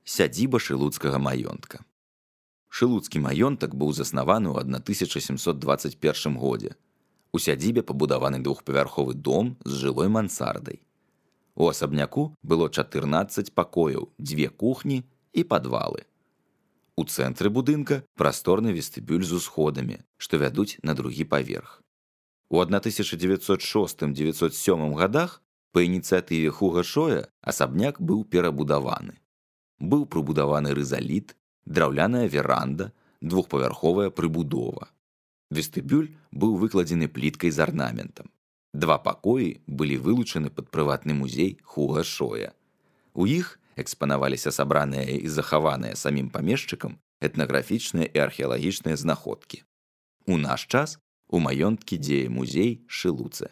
Сядзіба шылуцкага маёнтка. Шылуцкі маёнтак быў заснаваны ў 1721 годзе. У сядзібе пабудаваны двухпавярховы дом з жылой мансардай. У асабняку было 14 пакояў, 2 кухні і падвалы. У цэнтры будынка прасторны вестыбюль з усходамі, што вядуць на другі паверх. У 1906-1907 годах па ініцыятыве Хуга Шоя асабняк быў перабудаваны. Быў прыбудаваны рызаліт, драўляная веранда, двухпавярховая прыбудова. Вестыбюль быў выкладзены пліткай з арнаментам. 2 пакоі былі вылучаны пад прыватны музей Хуга Шоя. У іх экспанаваліся сабраныя і захаваныя самім памешчыкам этнаграфічныя і археалагічныя знаходкі. У наш час у маёнткі дзее музей Шылуцэ.